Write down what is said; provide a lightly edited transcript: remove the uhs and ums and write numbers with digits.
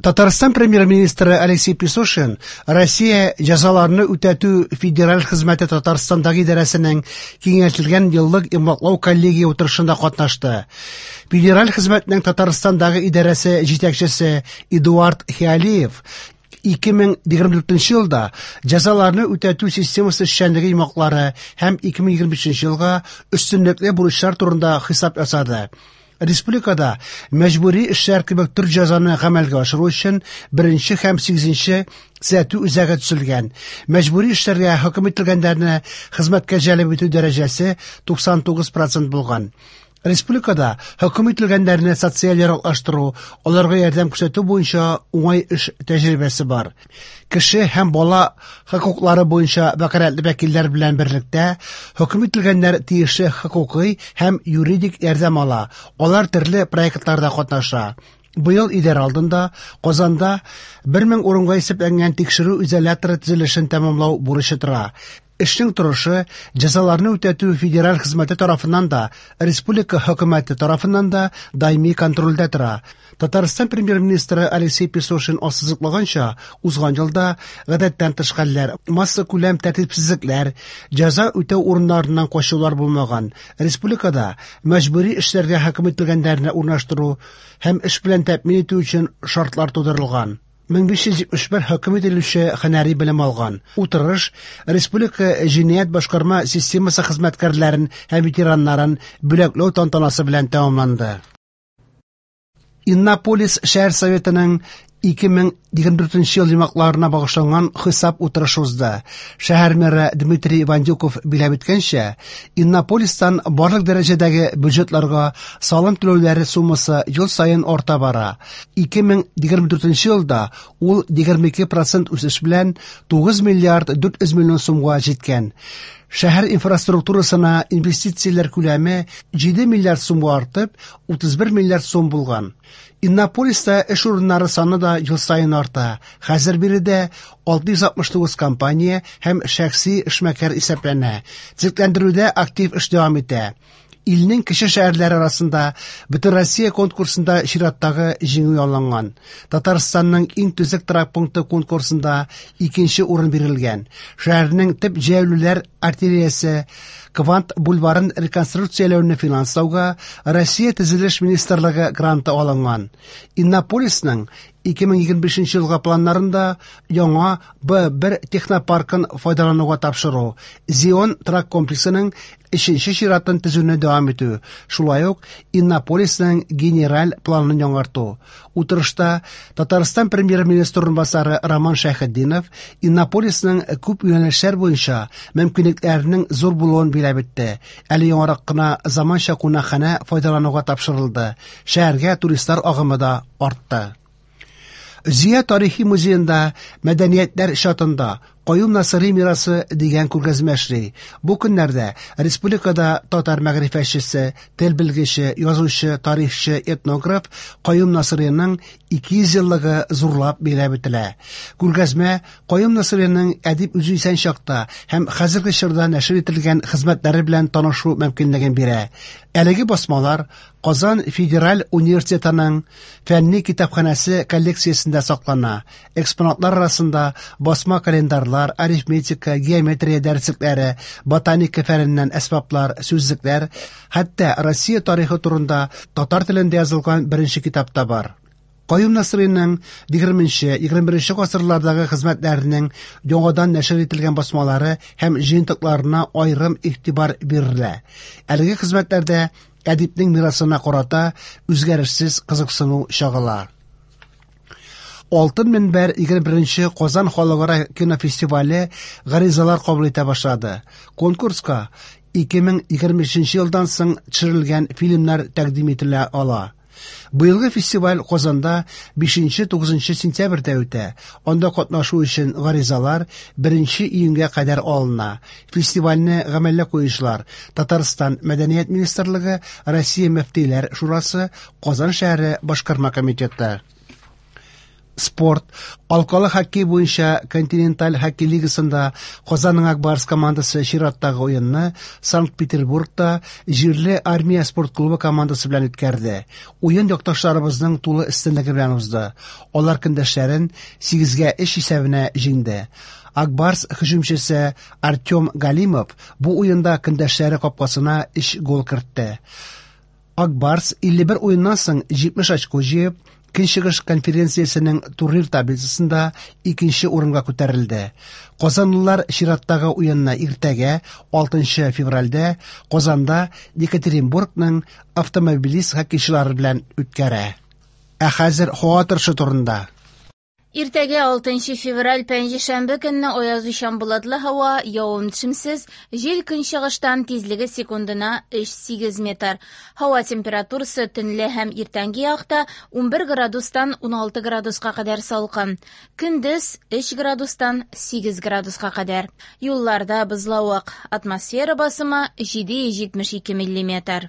Татарстан премьер-министры Алексей Песошин Россия җәзаларны үтәтү федераль хезмәте Татарстандагы идарәсенең киңәйтелгән еллык йомгаклау коллегия утырышында катнашты. Федераль хезмәтнең Татарстандагы идарәсе җитәкчесе Эдуард Хиалиев 2024 елда җәзаларны үтәтү системасы эшчәнлеге йомгаклары һәм 2025 елга өстенлекле бурычлар турында хисап ясады. Республикада мәҗбүри эшләр кебек төр җәзаны гамәлгә ашыру өчен беренче һәм сигезенче төзәтү үзәге төзелгән. Мәҗбүри эшләргә хөкем ителгәннәрне хезмәткә җәлеп итү дәрәҗәсе 99 процент булган. Республикада хөкем ителгәннәрне социаль яраклаштыру, аларга ярдәм күрсәтү буенча уңай эш тәҗрибәсе бар. Кеше һәм бала хокуклары буенча вәкаләтле вәкилләр белән берлектә хөкем ителгәннәр тиешле хокукый һәм юридик ярдәм ала. Алар төрле проектларда катнаша. Быел идарә алдында Казанда 1000 урынга исәпләнгән тикшерү изоляторы төзелешен тәмамлау бурычы тора. Эшнең торышы җәзаларны үтәтү федераль хезмәте тарафыннан да, республика хөкүмәте тарафыннан да даими контрольдә тора. Татарстан премьер-министры Алексей Песошин ассызыклаганча, узган елда гадәттән тыш хәлләр, массакүләм тәртипсезлекләр, җәза үтәү урыннарыннан качулар булмаган. Республикада мәҗбүри эшләргә хөкем ителгәннәрне урнаштыру һәм эш белән тәэмин итү өчен шартлар тудырылган. 1571 хөкем ителүче һөнәри белем алган. Утырыш республика җинаять башкарма системасы хезмәткәрләрен һәм ветераннарын бүләкләү тантанасы белән тәмамланды. Иннополис шәһәр советының 2024 ел йомгакларына багышланган хисап утырышы узды. Шәһәр мэры Дмитрий Вандюков биләп үткәнчә, Иннополистан барлык дәрәҗәдәге бюджетларга салым түләүләре суммасы ел саен арта бара. 2024 елда ул 22% үсеш белән 9 миллиард 400 миллион сумга җиткән. Шәһәр инфраструктурасына инвестицияләр күләме 7 миллиард сумга артып, 31 миллиард сум булган. Иннополиста эш урыннары саны да ел саен арта. Хәзер биредә 669 компания һәм шәхси эшмәкәр исәпләнә. Төзекләндерүдә актив эш дәвам итә. Илнең кече шәһәрләре арасында Бөтенроссия конкурсында чираттагы җиңү яуланган. Татарстанның иң төзек торак пункты конкурсында икенче урын бирелгән. Шәһәрнең төп җәяүлеләр артериясе Квант бульварын реконструкцияләүне финанслауга Россия Төзелеш министрлыгы гранты алынган. Иннополисның 2025 елга планнарында яңа Б1 технопаркын файдалануга тапшыру, Зион торак комплексының өченче чиратын төзүне дәвам итү, шулай ук Иннополисның генераль планын яңарту. Утырышта Татарстан премьер-министры урынбасары Роман Шәйхетдинов Иннополисның күп юнәлешләр буенча мөмкинлекләренең зур булуын биләп үтте. Әле яңарак кына заманча кунакханә файдалануга тапшырылды. Шәһәргә туристлар агымы да артты. Зөя тарихи музеенда Мәдәниятләр чатында Каюм Насыйри мирасы дигән күргәзмә эшли. Бу көннәрдә республикада татар мәгърифәтчесе, тел белгече, язучы, тарихчы, этнограф Каюм Насыйриның 200 еллыгы зурлап билгеләп үтелә. Күргәзмә Каюм Насыйриның әдип үзе исән чакта һәм хәзерге чорда нәшер ителгән хезмәтләре белән танышу мөмкинлеген бирә. Әлеге басмалар Казан федераль университетының фәнни китапханәсе коллекциясендә саклана. Экспонатлар арасында басма календарьлар, арифметика, геометрия дәреслекләре, ботаника фәненнән әсбаплар, сүзлекләр, хәтта Россия тарихы турында татар телендә язылган беренче китап та бар. Каюм Насыйриның 20-21 гасырлардагы хезмәтләренең яңадан нәшер ителгән басмалары һәм җыентыкларына аерым игътибар бирелә. Әлеге хезмәтләрдә әдипнең мирасына карата үзгәрешсез кызыксыну чагыла. Алтын мөнбәр 21 Казан халыкара кинофестивале гаризалар кабул итә башлады. Конкурска 2023 елдан соң төшерелгән фильмнар тәкъдим ителә ала. Быелгы фестиваль Казанда 5-9 сентябрьдә үтә. Анда катнашу өчен гаризалар 1 июньгә кадәр алына. Фестивальне гамәлгә куючылар Татарстан Мәдәният министрлыгы, Россия Мөфтиләр шурасы, Казан шәһәре башкарма комитеты. Спорт. Алкалы хоккей буенча Континенталь хоккей лигасында Казанның Ак Барс командасы чираттагы уенны Санкт-Петербургта җирле Армия спорт клубы командасы белән үткәрде. Уен якташларыбызның тулы өстенлеге белән узды. Алар көндәшләрен 8-гә 3 исәбенә җиңде. Ак Барс һөҗүмчесе Артем Галимов бу уенда көндәшләре капкасына 3 гол кертте. Ак Барс 51 уеннан соң 70 очко җыеп, Көнчыгыш конференциясенең турнир таблицасында икенче урынга күтәрелде. Казанлылар чираттагы уенны иртәгә, 6 февральдә Казанда Екатеринбургның Автомобилист хоккейчылары белән үткәрә. Ә хәзер һава торышы турында. Иртәгә 6 февраль пәнҗешәмбе көнне аязучан болытлы һава, явым-төшемсез, җил көнчыгыштан тизлеге секундына 3,8 метр. Һава температурасы төнлә һәм иртәнге якта 11 градустан 16 градуска кадәр салкын. Көндез 3 градустан 8 градуска кадәр. Юлларда бозлавык. Атмосфера басымы 772 миллиметр.